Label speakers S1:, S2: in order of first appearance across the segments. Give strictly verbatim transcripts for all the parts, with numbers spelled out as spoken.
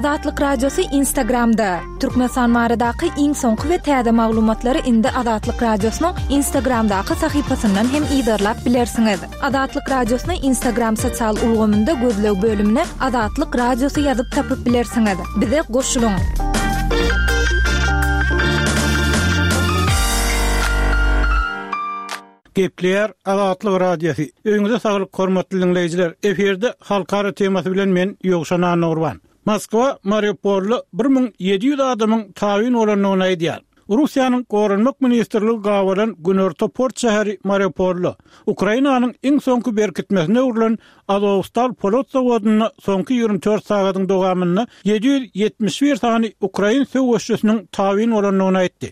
S1: Azatlyk Radiosy Instagramda. Türkmenistan baradaky iň soňky we täze maglumatlary indi Azatlyk Radiosynyň Instagramdaky sahypasyndan hem yzarlap bilersiňiz. Azatlyk Radiosyny Instagram sosial ulgamynda gözleg bölümine Azatlyk Radiosy ýazyp tapyp bilersiňiz. Bize goşulyň.
S2: Gepleýär Azatlyk Radiosy. Öýüňize saglyk hormatly diňleýjiler. Efirde halkara temasy bilen men Ýowşan Annagurban. Moskwa Mariupolda bir müň ýedi ýüz adamyň tabyn bolandygyny aýdýar. Russiýanyň Goranmak ministrligi gabalan günorta port şäheri Mariupolda Ukrainanyň iň soňky berkitmesine öwrülen Azowstal polat zawodynda soňky ýigrimi dört sagadyň dowamynda ýedi ýüz ýetmiş bir sany ukrain söweşçisiniň tabyn bolandygyny aýtdy.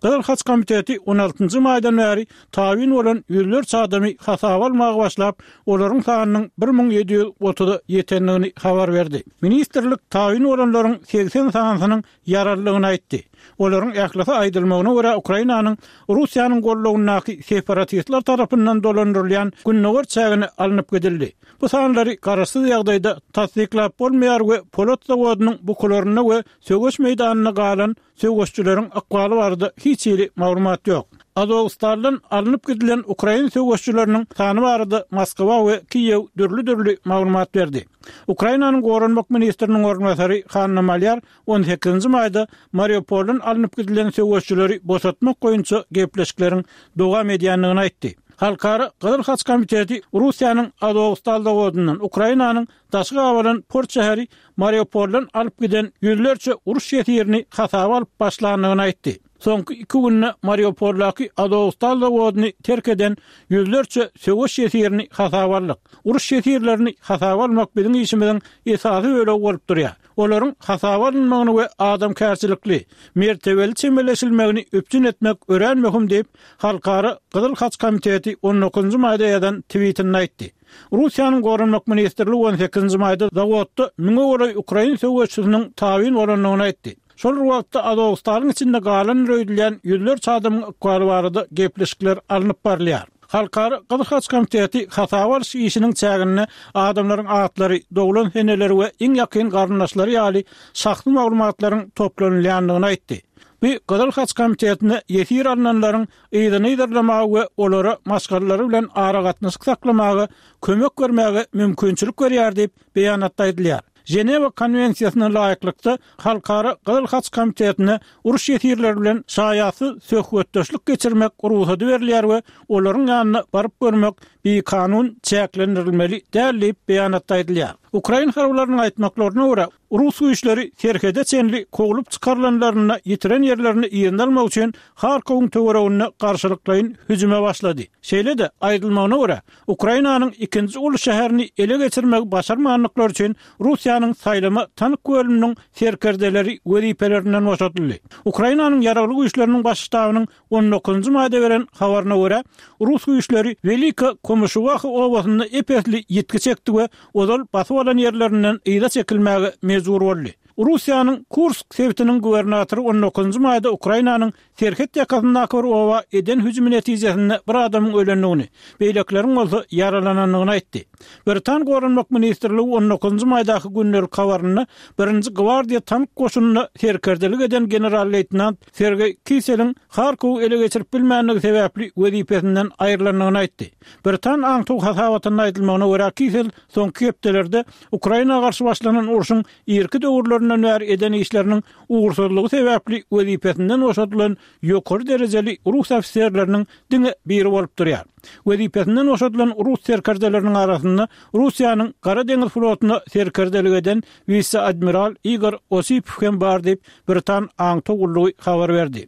S2: Gyzyl Haç komiteti on altynjy maýdan bäri tabyn bolan ýüzlerçe adamy hasaba almaga başlap, olaryň sanynyň bir müň ýedi ýüz otuza ýetendigini habar berdi. Ministrlik tabyn bolanlaryň segsen sanysynyň ýaralydygyny aýtdy. Olaryň ählisi aýdylmagyna görä Ukrainanyň Russiýanyň gollagyndaky separatistler tarapyndan dolandyrylýan gündogar çägine alnyp gidildi. Bu sanlary garaşsyz ýagdaýda tassyklap bolmaýar we polat zawodynyň bukularynda we söweş meýdanynda galan söweşçileriň ykbaly barada hiç hili maglumat ýok. Azowstaldan alnyp gidilen ukrain söweşçileriniň sany barada Moskwa we Kiýew dürli-dürli maglumat berdi. Ukrainanyň Goranmak ministriniň orunbasary Hanna Malýar on sekizinji maýda Mariupoldan alnyp gidilen söweşçileri boşatmak boýunça gepleşikleriň dowam edýändigini aýtdy. Halkara Gyzyl Haç komiteti Russiýanyň Azowstal zawodyndan Ukrainanyň daşy gabalan port şäheri Mariupoldan alyp giden ýüzlerçe uruş ýesirini hasaba alyp başlandygyny aýtdy. Soňky iki günde Mariupoldaky Azowstal zawodyny terk eden ýüzlerçe söweş ýesirini hasaba aldyk. Uruş ýesirlerini hasaba almak biziň işimiziň esasy bölegi bolup durýar. Olaryň hasaba alynmagyny we adamkärçilikli, mertebeli çemeleşilmegini üpjün etmek örän möhüm diýip, Halkara Gyzyl Haç komiteti on dokuzynjy maýda ýazan tweetinde aýtdy. Russiýanyň Goranmak ministrligi on sekizinji maýda zawodda müňe golaý ukrain söweşçisiniň tabyn bolandygyny aýtdy. Şol bir wagtda Azowstalyň içinde galan öýdülýän ýüzlerçe adamyň ykbaly barada gepleşikler alnyp barylýar. Halkara Gyzyl Haç komiteti hasaba alyş işiniň çäginde adamlaryň atlary, doglan seneleri we iň ýakyn garyndaşlary ýaly şahsy maglumatlaryň toplanylýandygyny aýtdy. Bu Gyzyl Haç komitetine ýesir alynanlaryň yzyny yzarlamaga we olara maşgalalary bilen aragatnaşyk saklamaga kömek bermäge mümkinçilik berýär diýip beýanatda aýdylýar. Ženewa konwensiýasyna laýyklykda Halkara Gyzyl Haç komitetine uruş ýesirleri bilen şaýatsyz söhbetdeşlik geçirmek rugsady berilýär we olaryň ýanyna baryp görmek bikanun çäklendirilmeli däl diýip beýanatda aýdylýar. Ukrain harbylarynyň aýtmaklaryna görä, rus güýçleri serhede çenli kowlup çykarylanlarynda ýitiren ýerlerini yzyna almak üçin Harkowyň töwereginde garşylyklaýyn hüjüme başlady. Şeýle-de, aýdylmagyna görä, Ukrainanyň ikinji uly şäherini ele geçirmegi başarmandyklary üçin Russiýanyň saýlama tank bölüminiň serkerdeleri wezipelerinden boşadyldy. Ukrainanyň ýaragly güýçleriniň baş ştabynyň on dokuzynjy maýda beren habaryna görä, rus güýçleri Welika Komuşuwaha obasynda ep-esli ýitgi çekdi we ozal basyp alan ýerlerinden yza çekilmäge mejbur boldy. Russiýanyň Kursk sebitiniň gubernatory on dokuzynjy maýda Ukrainanyň serhet ýakasyndaky bir oba eden hüjümi netijesinde bir adamyň ölendigini, beýlekileriň bolsa ýaralanandygyny aýtdy. Britan Goranmak ministrligi on dokuzynjy maýdaky gündelik habarynda birinji gwardiýa tank goşunynda serkerdelik eden general-leýtenant Sergeý Kiseliň Harkowy ele geçirip bilmändigi sebäpli wezipesinden aýrylandygyny aýtdy. Britan aňtaw hasabatynda aýdylmagyna görä, Kisel soňky hepdelerde Ukraina garşy başlanan urşuň irki döwürlerinden bäri eden işleriniň ugursyzlygy sebäpli wezipesinden boşadylan ýokary derejeli rus ofiserleriniň diňe biri bolup durýar. Wezipesinden boşadylan rus serkerdeleriniň arasynda Russiýanyň Gara deňiz flotuna serkerdelik eden wise-admiral Igor Osipow hem bar diýip, Britan aňtaw gullugy habar berdi.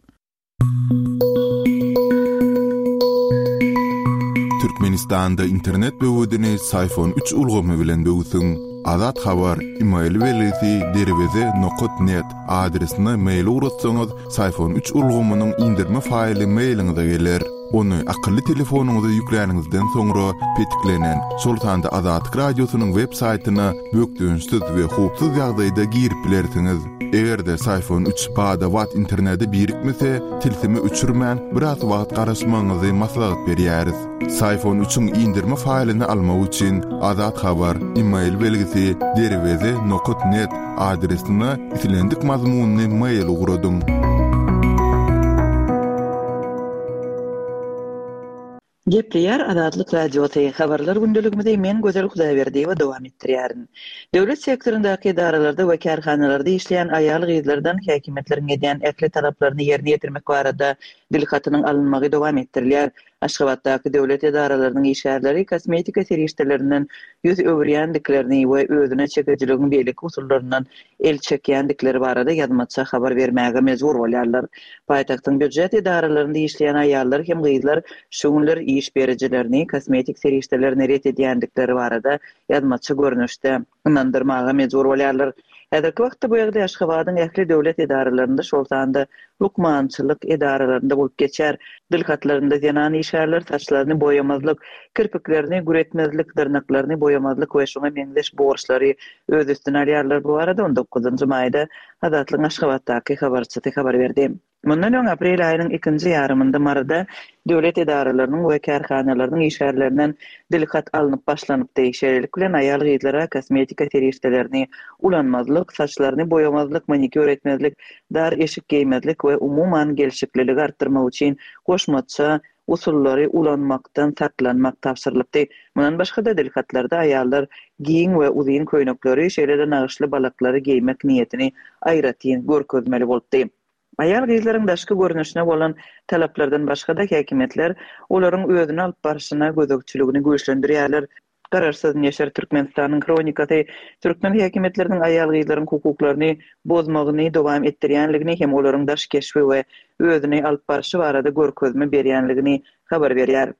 S3: Türkmenistanda internet böwedini Syfon üç ulgamy bilen böwsüň. Azat Habar, email belgisi derweze nokat net adresine mail ugratsaňyz, Syfon üç ulgamynyň indirme faýly mailiňize geler. Ony akylly telefonyňyza ýükläniňizden soňra petiklenen, şol sanda Azatlyk Radiosynyň web saýtyna bökdençsiz we howpsuz ýagdaýda girip bilersiňiz. Eger-de Syfon üç bada-bat internete birikmese, tilsimi öçürmän biraz wagt garaşmagyňyzy maslahat berýäris. Syfon üçiň indirme faýlyny almak üçin Azat Habar e-mail belgisi derweze nokat net adresine islendik mazmunyny mail ugradyň.
S4: Gepleýär Azatlyk Radiosy. Habarlar gündeligimizi men Gözel Hudaýberdiýewa dowam etdirýärin. Döwlet sektoryndaky edaralarda we kärhanalarda işleýän aýal-gyzlardan häkimiýetleriň edýän ähli talaplaryny ýerine ýetirmek barada dil hatynyň alynmagy dowam etdirilýär. Aşgabatdaky döwlet edaralarynyň işgärleri kosmetika serişdelerinden ýüz öwürýändiklerini we özüne çekijiligiň beýleki usullaryndan el çekýändikleri barada ýazmaça habar bermäge mejbur bolýarlar. Paýtagtyň býujet edaralarynda işleýän aýallar hem gyzlar şu günler iş berijilerini kosmetik serişdelerini ret edýändikleri barada ýazmaça görnüşde ynandyrmaga mejbur bolýarlar. Häzirki wagtda bu ýerde Aşgabadyň ähli döwlet edaralarynda, şol sanda lukmançylyk edaralarynda bolup geçer. Dil hatlarynda zenan işgärler saçlaryny boýamazlyk, kirpiklerini güretmezlik, dyrnaklaryny boýamazlyk we şoňa meňzeş borçlary öz üstüne alýarlar. Bu arada on dokuzynjy maýda Azatlygyň Aşgabatdaky habarçysy habar berdi. Mundan öň aprel aýynyň ikinji ýarymynda Maryda döwlet edaralarynyň we kärhanalarynyň işgärlerinden dil hat alnyp başlanypdy. Şeýlelik bilen aýal gyzlara kosmetika serişdelerini ulanmazlyk, saçlaryny boýamazlyk, manikýur etmezlik, dar eşik geýmezlik we umuman gelşikliligi artdyrmak üçin goşmaça usullary ulanmakdan saklanmak tabşyrylypdy. Mundan başga-da dil hatlarda aýallar giň we uzyn köýnekleri, şeýle-de nagyşly balaklary geýmek niýetini aýratyn görkezmeli bolupdy. Aýal gyzlaryň daşky görnüşine bolan talaplardan başga-da häkimiýetler olaryň özüni alyp barşyna gözegçiligini güýçlendirýärler. Garaşsyz neşir Türkmenistanyň Hronikasy türkmen häkimiýetleriniň aýal gyzlaryň hukuklaryny bozmagyny dowam etdirýänligini hem olaryň daş keşbi we özüni alyp barşy barada görkezme berýänligini habar berýär.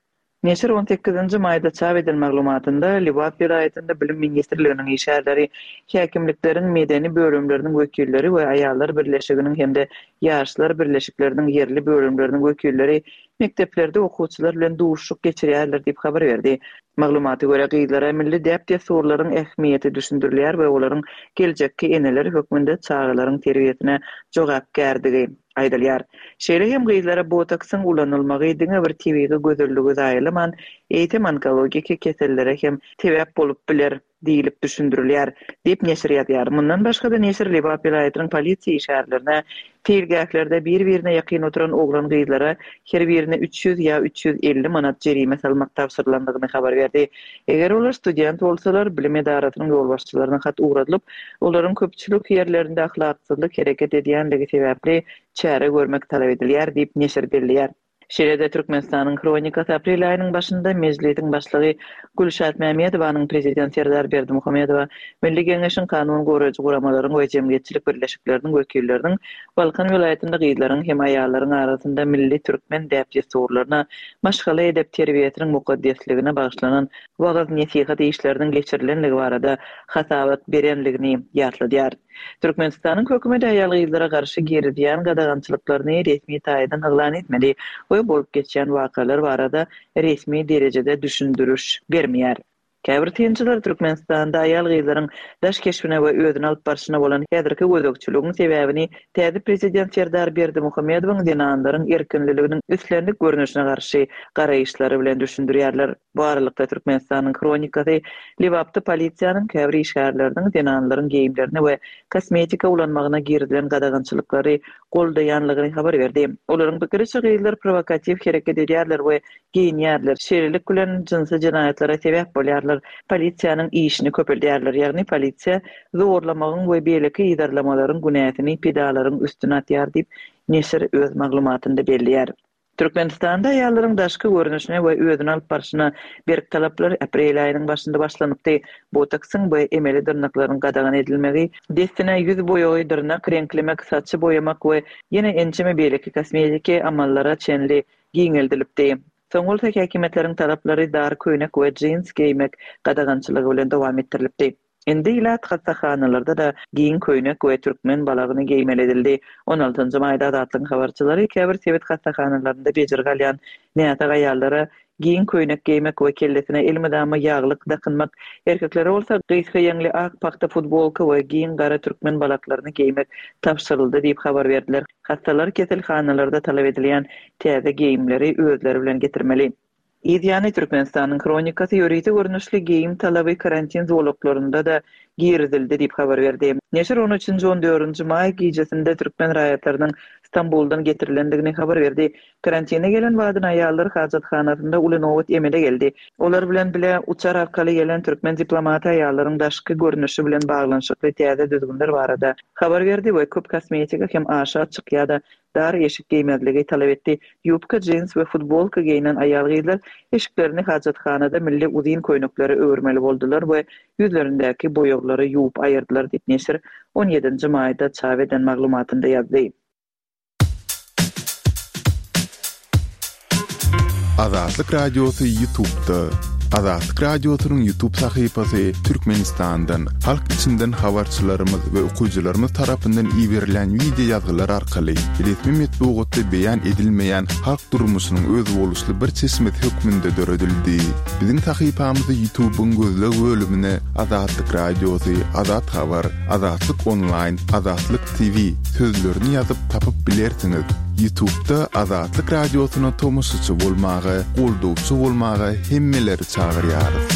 S4: Neşir on sekizinji maýda çap edilen maglumatynda Lebap welaýatynda Bilim ministrliginiň işgärleri, häkimlikleriň medeni bölümleriniň wekilleri we aýallar birleşiginiň hem-de ýaşlar birleşikleriniň ýerli bölümleriniň wekilleri mekdeplerde okuwçylar bilen duşuşyk geçirýärler diýip habar berdi. Maglumata görä gyzlara milli däp-dessurlaryň ähmiýeti düşündirilýär we olaryň geljekki eneler hökmünde çagalaryň terbiýesine jogapkärdigi aýdylýar. Şeýle hem gyzlara botoksyň ulanylmagy diňe bir tebigy gözelligi zaýalaman, eýsem onkologiki kesellere hem sebäp bolup biler diýilip düşündirilýär diýip neşir ýazýar. Mundan başga-da neşir Lebap welaýatynyň polisiýa işgärlerine seýilgählerde bir-birine ýakyn oturan oglan gyzlara her birine üç ýüz ýa üç ýüz elli manat jerime salmak tabşyrylandygyny habar berdi. Eger olar student bolsalar, bilim edarasynyň ýolbaşçylaryna hat ugradylyp, olaryň köpçülik ýerlerinde ahlaksyzlyk hereket edýänligi sebäpli çäre görmek talap edilýär diýip neşir belleýär. Şeýle-de Türkmenistanyň Hronikasy aprel aýynyň başynda Mejlisiň başlygy Gülşat Mämedowanyň prezident Serdar Berdimuhamedowa Milli Geňeşiň kanun goraýjy guramalaryň we jemgyýetçilik birleşikleriniň wekilleriniň Balkan welaýatynda gyzlaryň hem aýallaryň arasynda milli türkmen däp-dessurlaryna, maşgala edep terbiýesiniň mukaddesligine bagyşlanan wagyz nesihat işleriniň geçirilenligi barada hasabat berenligini ýatladýar. Türkmenistanyň hökümeti aýal gyzlara garşy girizýän gadagançylyklaryny resmi taýdan yglan etmedi we bolup geçýän wakalar barada resmi derejede düşündiriş bermeýär. Käbir synçylar Türkmenistanda aýal gyzlaryň daş keşbine we özüni alyp barşyna bolan häzirki gözegçiligiň sebäbini täze prezident Serdar Berdimuhamedowyň zenanlaryň erkinliliginiň islendik görnüşine garşy garaýyşlary bilen düşündirýärler. Bu aralykda Türkmenistanyň Hronikasy Lebapda polisiýanyň käbir işgärleriniň zenanlaryň geýimlerine we kosmetika ulanmagyna girizilen gadagançylyklary goldaýanlygyny habar berdi. Olaryň pikiriçe gyzlar provokatiw hereket edýärler we geýinýärler. Şeýlelik bilen jynsy jenaýatlara sebäp bolýarlar. Polisiýanyň işini köpeldýärler. Ýagny polisiýa zorlamagyň we beýleki ýerlemelerin günäsini pedalaryň üstüne atýar diýip neşir öz maglumatynda belleýär. Türkmenistanda aýallaryň daşky görnüşine we özüni alyp barşyna berk talaplar aprel aýynyň başynda başlanypdy. Botoksyň we emeli dyrnaklaryň gadagan edilmegi, dessine ýüz boýagy, dyrnak reňklemek, saçy boýamak we ýene ençeme beýleki kosmetiki amallara çenli giňeldilipdi. Soň bolsa häkimiýetleriň talaplary dar köýnek we jins geýmek gadagançylygy bilen dowam etdirilipdi. Indi ilat hassahanalarda-da giň köýnek we türkmen balagyny geýmeli edildi. On altynjy maýda Azatlygyň habarçylary käbir sebit hassahanalarynda bejergi alýan näsag aýallara giň köýnek geýmek we kellesine elmydama ýaglyk dakynmak, erkeklere bolsa gysga ýeňli ak pagta futbolka we giň gara türkmen balaklaryny geýmek tabşyryldy diýip habar berdiler. Hassalar keselhanalarda talap edilýän täze geýimleri özleri bilen getirmeli. Yz ýany, Türkmenistanyň Hronikasy ýörite görnüşli geýim talaby karantin zolaklarynda-da girizildi diýip habar berdi. Neşir on üçünji, on dördünji maý gijesinde türkmen raýatlarynyň Stambuldan getirilendigini habar berdi. Karantine gelen badyna aýallar hajathanasynda uly nobat emele geldi. Olar bilen bile uçar arkaly gelen türkmen diplomaty aýallaryň daşky görnüşi bilen baglanyşykly täze düzgünler barada habar berdi we köp kosmetika hem aşa açyk ýa-da dar eşik geýmezligi talap etdi. Ýubka, jins we futbolka geýnen aýal-gyzlar eşiklerini hajathanada milli uzyn köýneklere öwürmeli boldular we ýüzlerindäki boýaglary ýuwup aýyrdylar diýip, neşir on ýedinji maýda çap eden maglumatynda ýazdy.
S3: Azatlyk Radiosy YouTube'da. Azatlyk Radiosynyň YouTube sahypasy Türkmenistandan, halk içinden habarçylarymyz we okyjylarymyz tarapyndan iberilen wideo ýazgylar arkaly resmi metbugatda beýan edilmeýän halk durmuşynyň özboluşly bir çeşmesi hökmünde döredildi. Biziň sahypamyzy YouTube'yň gözleg bölümine Azatlyk Radiosy, Azat Habar, Azatlyk Online, Azatlyk T V sözlerini ýazyp tapyp bilersiňiz. YouTube'da Azatlyk Radiosyna tomaşaçy bolmaga, goldawçy bolmaga hemmeleri çagyrýarys.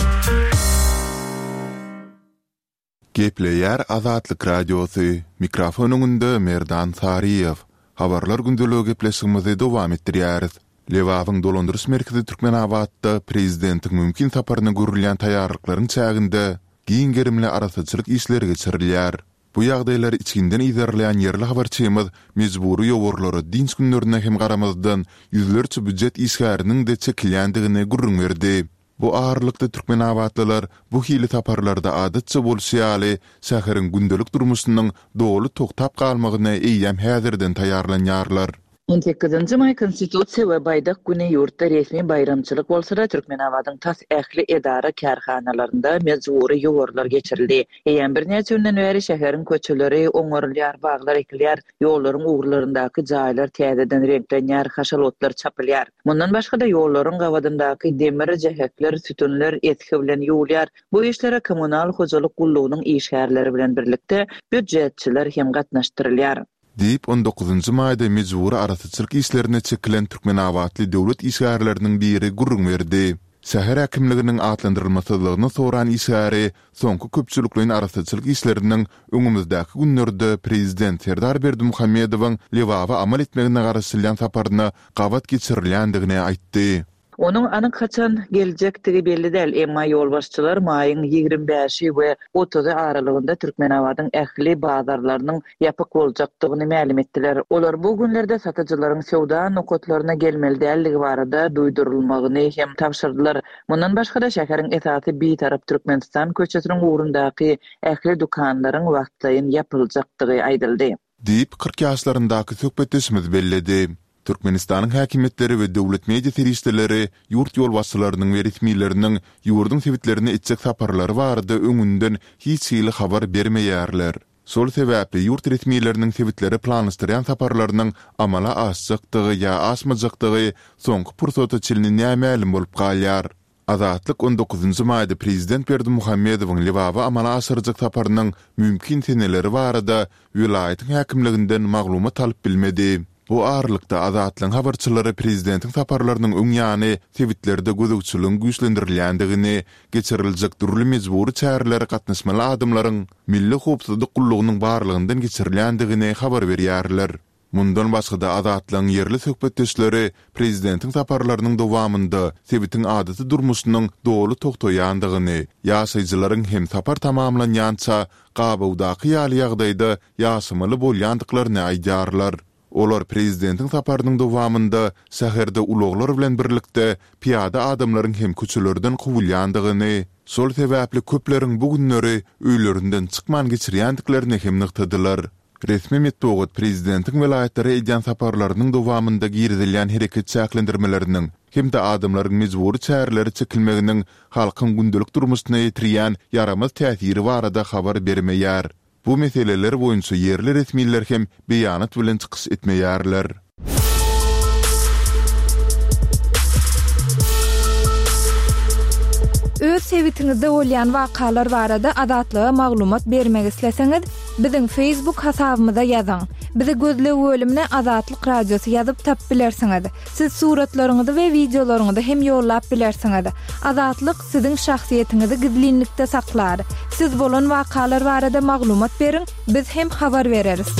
S3: Gepleýär Azatlyk Radiosy. Mikrofon öňünde Merdan Saryýew. Habarlar gündeligi gepleşigimizi dowam etdirýäris. Lebabyň dolandyryş merkezi Türkmenabatda prezidentiň mümkin saparyna görülýän taýýarlyklaryň çäginde giň gerimli arasaçylyk işleri geçirilýär. Bu ýagdaýlary içginden yzarlaýan ýerli habarçymyz mejbury ýowarlara dinç günlerine hem garamazdan ýüzlerçe býujet işgäriniň de çekilýändigini gürrüň berdi. Bu aralykda Türkmenabatlylar bu hili saparlarda adatça bolşy ýaly şäheriň gündelik durmuşynyň doly toktap galmagyna eýýäm häzirden taýýarlanýarlar.
S4: On sekizinji maý Konstitusiýa we Baýdak güni ýurtda resmi baýramçylyk bolsa-da Türkmenabadyň tas ähli edara kärhanalarynda mejbury ýowarlar geçirildi. Eýýäm birnäçe günden bäri şäheriň köçeleri oňarylýar, baglar ekilýär, ýollaryň ugurlaryndaky jaýlar täzeden reňklenýär, haşal otlar çapylýar. Mundan başga-da ýollaryň gabadyndaky demir, jähekler, sütünler esgi bilen ýuwulýar. Bu işlere kommunal hojalyk gullugynyň işgärleri bilen birlikde býujetçiler hem gatnaşdyrylýar.
S3: Diýip on dokuzynjy maýda mejbury arasaçylyk işlerine çekilen Türkmenabatly döwlet işgärleriniň biri gürrüň berdi. Şäher häkimliginiň atlandyrylmasyzlygyny soran işgäri soňky köpçülikleýin arasaçylyk işleriniň öňümizdäki günlerde prezident Serdar Berdimuhamedowyň Lebaba amal etmegine garaşylýan saparyna gabat geçirilýändigini aýtdy.
S4: Onuň anyk haçan geljekdigi belli däl, emma ýolbaşçylar maýyň ýigrimi bäşi we otuzy aralygynda Türkmenabadyň ähli bazarlarynyň ýapyk boljakdygyny mälim etdiler. Olar bu günlerde satyjylaryň söwda nokatlaryna gelmeli dälligi barada duýdurylmagyny hem tabşyrdylar. Mundan başga-da şäheriň esasy Bitarap Türkmenistan köçesiniň ugrundaky ähli dükanlaryň wagtlaýyn ýapyljakdygy aýdyldy.
S3: Diýip kyrk ýaşlaryndaky söhbetdeşimiz belledi. Türkmenistanyň häkimiýetleri we döwlet media serişdeleri ýurt ýolbaşçylarynyň we resmileriniň ýurduň sebitlerine etjek saparlary barada öňünden hiç hili habar bermeýärler. Şol sebäpli ýurt resmileriniň sebitlere planlaşdyrýan saparlarynyň amala aşjakdygy ýa aşmajakdygy soňky pursata çenli nämälim bolup galýar. Azatlyk on dokuzynjy maýda prezident Berdimuhamedowyň Lebaba amala aşyrjak saparynyň mümkin seneleri barada welaýatyň häkimliginden maglumat alyp bilmedi. Bu aralykda Azatlygyň habarçylary prezidentiň saparlarynyň öň ýany sebitlerde gözegçiligiň güýçlendirilýändigini, geçiriljek dürli mejbury çärelere gatnaşmaly adamlaryň Milli howpsuzlyk gullugynyň barlygyndan geçirilýändigini habar berýärler. Mundan başga-da Azatlygyň ýerli söhbetdeşleri prezidentiň saparlarynyň dowamynda sebitiň adaty durmuşynyň doly togtaýandygyny, ýaşaýjylaryň hem sapar tamamlanýança gabawdaky ýaly ýagdaýda ýaşamaly bolýandyklaryny aýdýarlar. Olar prezidentiň saparynyň dowamynda şäherde ulaglar bilen birlikde piýada adamlaryň hem köçelerden kowulýandygyny, şol sebäpli köpleriň bu günleri öýlerinden çykman geçirýändiklerini hem nygtadylar. Resmi metbugat prezidentiň welaýatlara edýän saparlarynyň dowamynda girizilýän hereket çäklendirmeleriniň hem-de adamlaryň mejbury çärelere çekilmeginiň halkyň gündelik durmuşyna ýetirýän ýaramaz täsiri barada habar bermeýär. Bu meseleler boýunça ýerli resmiler hem beýanat bilen çykyş etmeýärler.
S1: Öz sebitiňizde bolýan wakalar barada Azatlyga maglumat bermek isleseňiz, biziň Facebook hasabymyza ýazyň. Bizi gözleg bölümine Azatlyk Radiosy ýazyp tapyp bilersiňiz. Siz suratlaryňyzy we wideolaryňyzy hem ýollap bilersiňiz. Azatlyk siziň şahsyýetiňizi gizlinlikde saklar. Siz bolan wakalar barada maglumat beriň, biz hem habar bereris.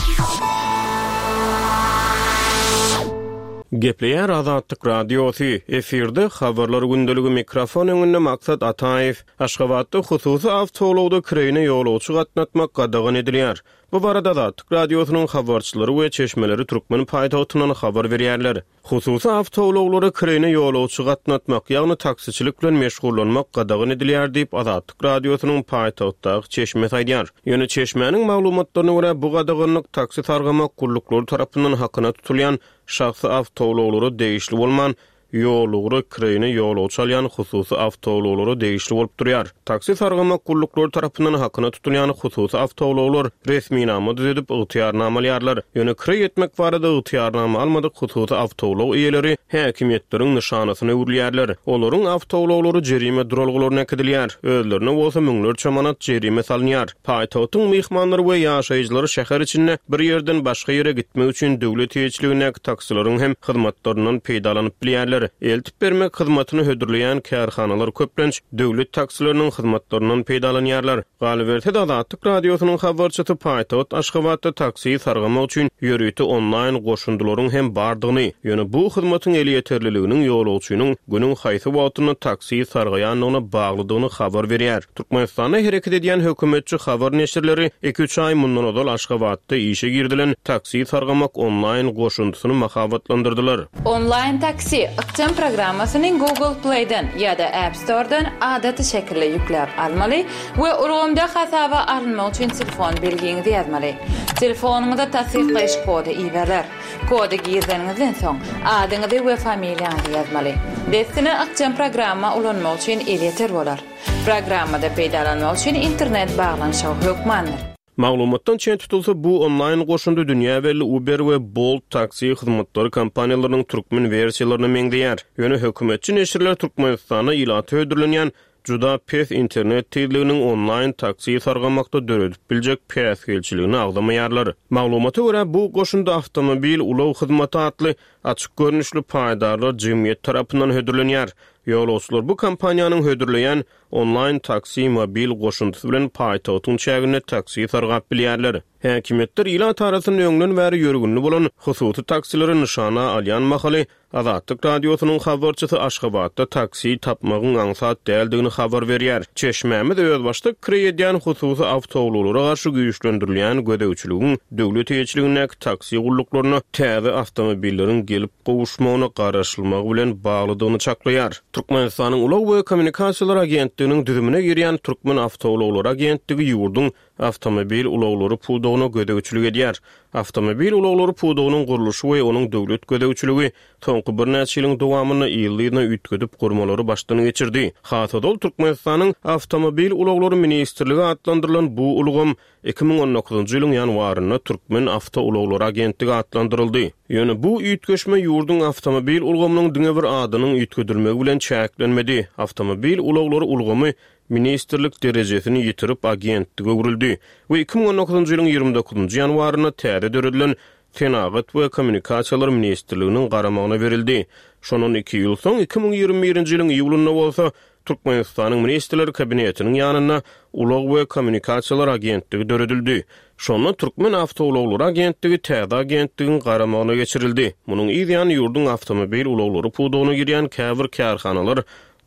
S5: Gepleýär Azatlyk Radiosy, efirde habarlar gündeligi mikrofon öňünde Maksat Ataýew. Aşgabatda hususy awtoulagda kireýine ýolagçy gatnatmak gadagan edilýär. Bu barada Azatlyk Radiosynyň habarçylary we çeşmeleri türkmen paýtagtyndan habar berýärler. Hususy awtoulaglara kireýine ýolagçy gatnatmak, ýagny taksiçilik bilen meşgullanmak gadagan edilýär diýip Azatlyk Radiosynyň paýtagtdaky çeşmesi aýdýar. Ýöne çeşmäniň maglumatlaryna görä bu gadaganlyk taksi sargamak gulluklary tarapyndan hakyna tutulýan şahsy awtoulaglara degişli bolman, ýolugra kireýine ýolagçy alýan hususy awtoulaglara degişli bolup durýar. Taksi sargamak gulluklary tarapyndan hakyna tutulýan hususy awtoulaglar resminama düzedip ygtyýarnama alýarlar. Ýöne kireý etmek barada ygtyýarnama almadyk hususy awtoulag eýeleri häkimiýetleriň nyşanasyna öwrülýärler. Olaryň awtoulaglary jerime duralgalaryna äkidilýär. Özlerine bolsa müňlerçe manat jerime salynýar. Paýtagtyň myhmanlary we ýaşaýjylary şäher içinde bir ýerden başga ýere gitmek üçin döwlet eýeçiligindäki taksilaryň hem hyzmatlaryndan peýdalanyp bilýärler. Eltip bermek hyzmatyny hödürleýän kärhanalar köplenç döwlet taksileriniň hyzmatlaryndan peýdalanýarlar. Galyberse-de Azatlyk Radiosynyň habarçysy paýtagt Aşgabatda taksi sargamak üçin ýörite onlaýn goşundylaryň hem bardygyny, ýöne bu hyzmatyň elýeterliliginiň ýolagçynyň günüň haýsy wagtynda taksi sargaýandygyna baglydygyny habar berýär. Türkmenistanda hereket edýän hökümetçi habar neşirleri iki-üç aý mundan ozal Aşgabatda işe girdilen taksi sargamak onlaýn goşundysyny mahabatlandyrdylar.
S6: Onlaýn taksi ykjam programmasyny Google Play'den ýa-da App Store'dan adaty şekilde ýükläp almaly we ulgamda hasaba alynmak üçin telefon belgiňizi ýazmaly. Telefonyňyza tassyklaýyş kody iberler. Kody girizeniňizden soň adyňyzy we familiýaňyzy ýazmaly. Dessine ykjam programma ulanmak üçin elýeter bolar. Programmada peýdalanmak üçin internet baglanyşygy hökmandyr.
S5: Maglumatdan çen tutulsa bu onlaýn goşundy dünýä belli Uber we Bolt taksi hyzmatlary kompaniýalarynyň türkmen wersiýalaryna meňzeýär. Ýöne hökümetçi neşirler Türkmenistanda ilata hödürlenýän juda pes internet tizliginiň onlaýn taksi sargamakda döredip biljek päsgelçiligini agzamaýarlar. Maglumata görä bu goşundy awtomobil ulag hyzmaty atly açyk görnüşli paýdarlar jemgyýet tarapyndan hödürlenýär. Ýolagçylar bu kompaniýanyň hödürleýän onlaýn taksi mobil goşundysy bilen paýtagtyň çäginde taksi sargap bilýärler. Häkimiýetler ilat arasynda öňden bäri ýörgünli bolan hususy taksileri nyşana alýan mahaly Azatlyk Radiosynyň habarçysy Aşgabatda taksi tapmagyň aňsat däldigini habar berýär. Çeşmämiz özbaşdak kireý edýän hususy awtoulaglara garşy güýçlendirilýän gözegçiligiň döwlet eýeçiligindäki taksi gulluklaryna täze awtomobilleriň gelip gowuşmagyna garaşylmagy bilen baglydygyny çaklaýar. Türkmenistanyň Ulag we kommunikasiýalar agentliginiň düzümine girýän Türkmen awtoulaglary agentligi ýurduň awtomobil ulaglary pudagyna gözegçilik edýär. Awtomobil ulaglary pudagynyň gurluşy we onuň döwlet gözegçiligi soňky birnäçe ýylyň dowamynda ýyl-ýylyna üýtgedip gurmalary başdan geçirdi. Hasodol Türkmenistanyň Awtomobil ulaglary ministrligi atlandyrylan bu ulgam iki müň on dokuzynjy ýylyň ýanwarynda Türkmen awtoulaglary agentligi atlandyryldy. Ýöne bu üýtgeşme ýurduň awtomobil ulgamynyň diňe bir adynyň üýtgedilmegi bilen çäklenmedi. Awtomobil ulaglary ulgamy ministrlik derejesini ýitirip agentlige öwrüldi we iki müň on dokuzynjy ýylyň ýigrimi dokuzynjy ýanwarynda täze döredilen Senagat we kommunikasiýalar ministrliginiň garamagyna berildi. Şondan iki ýyl soň iki müň ýigrimi birinji ýylyň iýulynda bolsa Türkmenistanyň Ministrler Kabinetiniň ýanynda Ulag we kommunikasiýalar agentligi döredildi. Şonda Türkmen awtoulaglary agentligi täze agentligiň garamagyna geçirildi. Munuň yz ýany ýurduň awtomobil ulaglary pudagyna girýän käbir kärhanalar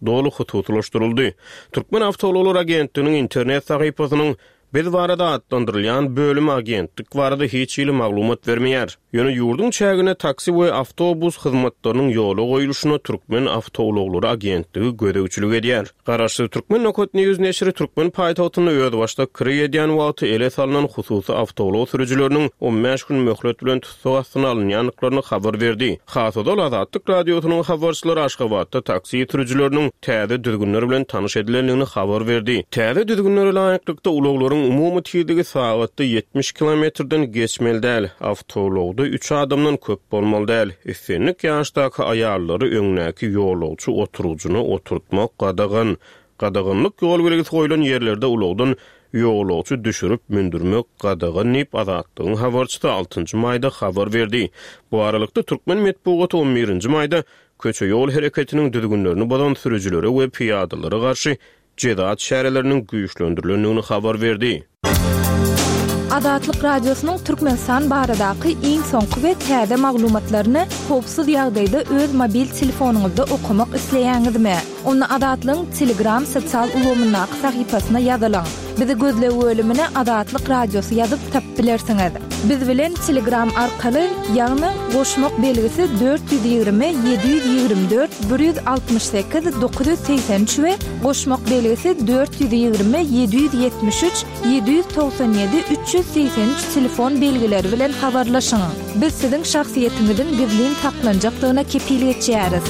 S5: doly hususylaşdyryldy. Türkmen awtoulaglar agentliginiň internet sahypasynyň Biz barada atlandyrylýan bölümi agentlik barada hiç hili maglumat bermeýär. Ýöne ýurduň çägine taksi we awtobus hyzmatlarynyň ýola goýuluşyna Türkmen awtoulaglary agentligi gözegçilik edýär. Garaşsyz Türkmen Nokat News neşiri türkmen paýtagtynda özbaşdak kireý edýän wagty ele salnan hususy awtoulag sürüjileriniň on bäş gün möhlet bilen tussag astyna alynýandyklaryny habar berdi. Has ozal Azatlyk Radiosynyň habarçylary Aşgabatda taksi sürüjileriniň täze düzgünler bilen tanyş edilendigini habar berdi. Täze düzgünlere laýyklykda ulaglaryň umumy tizligi sagatda ýetmiş kilometrden geçmeli däl, awtoulagda üç adamdan köp bolmaly däl. Islendik ýaşdaky aýallary öňdäki ýolagçy oturyjyna oturtmak gadagan. Gadaganlyk ýol belgisi goýlan ýerlerde ulagdan ýolagçy düşürip mündürmek gadagan diýip Azatlygyň habarçysy altynjy maýda habar berdi. Bu aralykda türkmen metbugaty on birinji maýda köçe ýol hereketiniň düzgünlerini bozan sürüjilere we piyadalara garşy jeza çäreleriniň güýçlendirilendigini habar berdi.
S1: Azatlyk Radiosynyň Türkmenistan baradaky iň soňky we täze maglumatlaryny howpsuz ýagdaýda öz mobil telefonyňyzda okamak isleýäňizmi? Onda Azatlygyň Telegram sosial ulgamyndaky sahypasyna ýazylyň. Bizi gözleg bölümine Azatlyk Radiosy ýazyp tapyp bilersiňiz. Biz bilen Telegram arkaly, ýagny goşmak belgisi dört ýüz ýigrimi, ýedi ýüz ýigrimi dört, bir ýüz altmyş sekiz, dokuz ýüz segsen üç we goşmak belgisi dört ýüz ýigrimi, ýedi ýüz ýetmiş üç, ýedi ýüz togsan ýedi, üç ýüz segsen üç telefon belgileri bilen habarlaşyň. Biz siziň şahsyýetiňiziň gizlin saklanjakdygyna kepil geçýäris.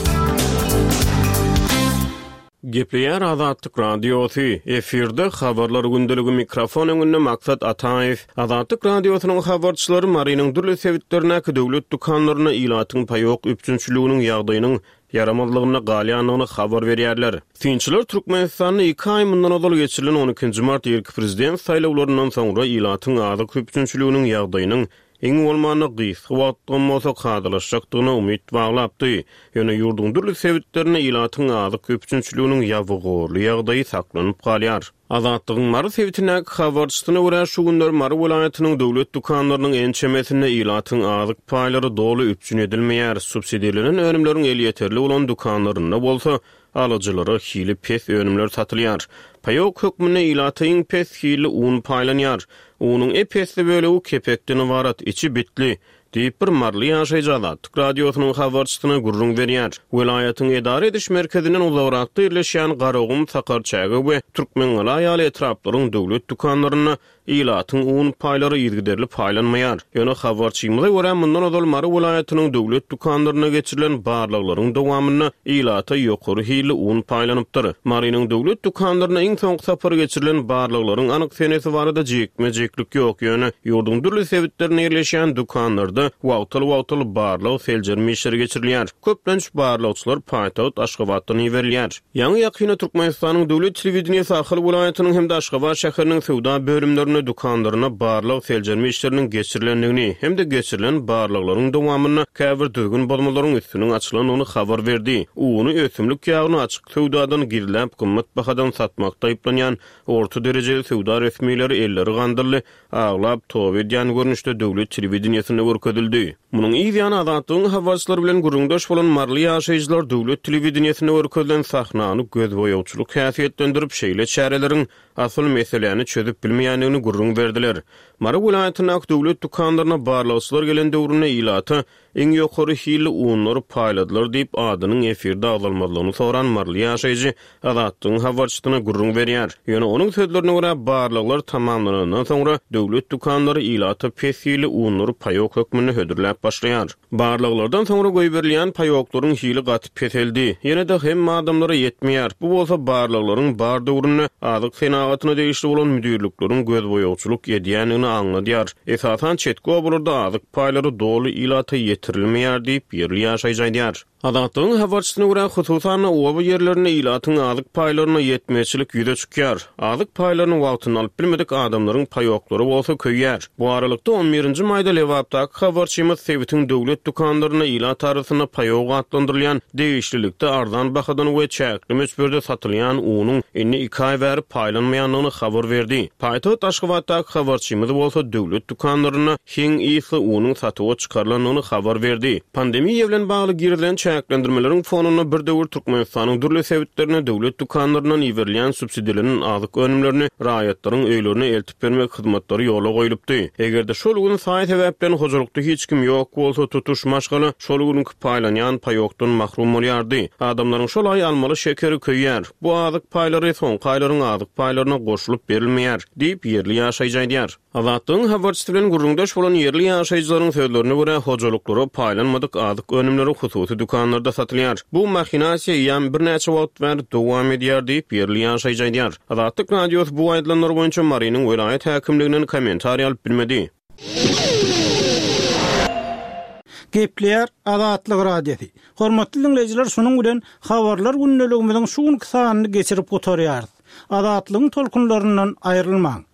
S5: Gepleýär Azatlyk Radiosy. Efirde habarlar gündeligi mikrofon öňünde Maksat Ataýew. Azatlyk Radiosynyň habarçylary Marynyň dürli sebitlerindäki döwlet dükanlaryna ilatyň paýok üpjünçiliginiň ýagdaýynyň ýaramazlygyna galýandygyny habar berýärler. Synçylar Türkmenistanda iki aý mundan ozal geçirilen on ikinji mart irki prezident saýlawlaryndan soňra ilatyň azyk üpjünçiliginiň ýagdaýynyň iň bolmanda gysga wagtdan bolsa kadalaşjakdygyna umyt baglapdy. Ýöne ýurduň dürli sebitlerinde ilatyň azyk üpjünçiliginiň ýabygorly ýagdaýy saklanyp galýar. Azatlygyň Mary sebitindäki habarçysyna görä şu günler Mary welaýatynyň döwlet dükanlarynyň ençemesinde ilatyň azyk paýlary doly üpjün edilmeýär. Subsidirlenen önümleriň elýeterli bolan dükanlarynda bolsa alyjylara hili pes önümler satylýar. Paýok hökmünde ilata iň pes hili un paýlanýar. Unuň epesli bölegi kepekden ybarat, içi bitli diýip bir Marly ýaşaýjy Azatlyk Radiosynyň habarçysyna gürrüň berýär. Welaýatyň edara ediş merkezinden uzagrakda ýerleşýän Garagum, Sakarçäge we Türkmengala ýaly etraplaryň döwlet dükanlarynda ilatyň un paýlary yzygiderli paýlanmaýar. Ýöne habarçymyza görä mundan ozal Mary welaýatynyň döwlet dükanlaryna geçirilen barlaglaryň dowamynda ilata ýokary hilli un paýlanypdyr. Marynyň döwlet dükanlaryna iň soňky sapar geçirilen barlaglaryň anyk senesi barada jikme-jiklik ýok. Ýöne ýurduň dürli sebitlerinde ýerleşýän dükanlarda wagtal-wagtal barlag seljerme işleri geçirilýär. Köplenç barlagçylar paýtagt Aşgabatdan iberilýär. Ýaňy ýakynda Türkmenistanyň döwlet telewideniýesi Ahal welaýatynyň hem-de Aşgabat şäheriniň söwda bölümlerinde dükanlaryna barlag seljerme işleriniň geçirilendigini hem-de geçirilen barlaglaryň dowamynda käbir düzgün bozmalaryň üstüniň açylandygyny habar berdi. Uny ösümlik ýagyny açyk söwdadan gizläp gymmat bahadan satmakda aýyplanýan orta derejeli söwda resmileri elleri gandylly, aglap toba edýän görnüşde döwlet telewideniýesinde görkezildi. Munuň yz ýany Azatlygyň habarçylary bilen gürrüňdeş bolan Marly ýaşaýjylar döwlet telewideniýesinde görkezilen sahnany gözboýagçylyk häsiýetlendirip, şeýle çäreleriň asyl meseläni çözüp bilmeýändigini gürrüň berdiler. Mary welaýatyndaky döwlet dükanlaryna barlagçylar gelen döwründe ilata iň ýokary hilli unlary paýladylar diýip adynyň efirde agzalmazlygyny soran Marly ýaşaýjy Azatlygyň habarçysyna gürrüň berýär. Ýöne onuň sözlerine görä barlaglar tamamlanandan soňra döwlet dükanlary ilata pes hilli unlary paýok hökmünde hödürläp başlaýar. Barlaglardan soňra goýberilýän paýoklaryň hili gaty peseldi. Ýene-de hem adamlara ýetmeýär. Bu bolsa barlaglaryň bar döwründe azyk senagatyna degişli bolan müdirlikleriň gözboýagçylyk edýändigini aňladýar. Esasan çetki obalarda azyk paýlary doly ilata ýetirilmeýär diýip ýerli ýaşaýjy aýdýar. Azatlygyň habarçysyna görä hususan oba ýerlerinde ilatyň azyk paýlaryna ýetmezçilik ýüze çykýar. Azyk paýlaryny wagtynda alyp bilmedik adamlaryň paýoklary bolsa köýýär. Bu aralykda on birinji maýda Lebapdaky habarçymyz sebitiň döwlet dükanlarynda ilat arasynda paýok atlandyrylýan degişlilikde arzan bahadan we çäkli möçberde satylýan unuň indi iki aý bäri paýlanmaýandygyny habar berdi. Paýtagt Aşgabatdaky habarçymyz bolsa döwlet dükanlarynda heň ysly unuň satuwa çykarylandygyny habar berdi. Pandemiýa bilen bagly girizilen çäklendirmeleriň fonunda bir döwür Türkmenistanyň dürli sebitlerine döwlet dükanlaryndan iberilýän subsidirlenen azyk önümlerini raýatlaryň öýlerine eltip bermek hyzmatlary ýola goýlupdy. Eger-de şol gün saý-sebäpden hojalykda hiç kim ýok bolsa, tutuş maşgala şol günki paýlanýan paýokdan mahrum bolýardy. Adamlaryň şol aý almaly şekeri köýýär. Bu azyk paýlary soňky aýlaryň azyk paýlaryna goşulyp berilmeýär, diýip, ýerli ýaşaýjy aýdýar. Azatlygyň habarçysy bilen gürrüňdeş bolan ýerli ýaşaýjylaryň sözlerine görä, hojalyklara paýlanmadyk azyk önümleri hususy dükanlarda satylýar. Bu mahinasiýa eýýäm birnäçe wagt bäri dowam edýär diýip, ýerli ýaşaýjy aýdýar. Azatlyk Radiosy bu aýdylanlar boýunça Marynyň welaýat häkimliginden kommentariý alyp bilmedi.
S2: Gepleýär Azatlyk Radiosy. Hormatly diňleýjiler, şunuň bilen Habarlar gündeligimiziň şu günki sanyny geçirip gutarýarys. Azatlygyň tolkunlaryndan aýrylmaň.